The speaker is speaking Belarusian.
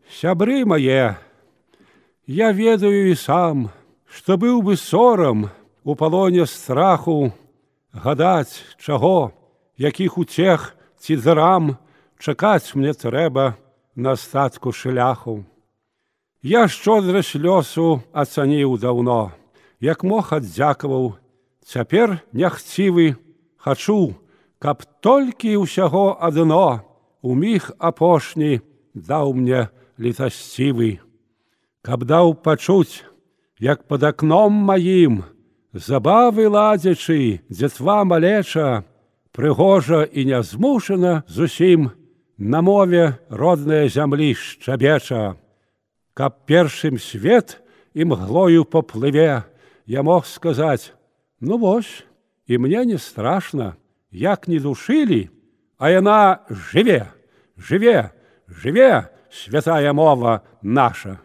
Сябры мае, я ведаю і сам, што быў бы сорам у палоне страху гадаць, чаго, якіх утех ці зарам чакаць мне трэба на астатку шляху. Я шчодрасць лёсу ацаніў даўно, як мог аддзякаваў, цяпер няхцівы хачу, каб толькі ўсяго адно у міг апошні даў мне літасцівы, каб даў пачуць, як пад акном маім, забавы ладзячы, дзетва малеча, прыгожа і нязмушана зусім на мове роднае зямлі шчабеча, каб першым свет імглою поплыве, я мог сказаць: ну вось, і мне не страшна, як не душылі, а яна жыве, жыве, жыве, святая мова наша.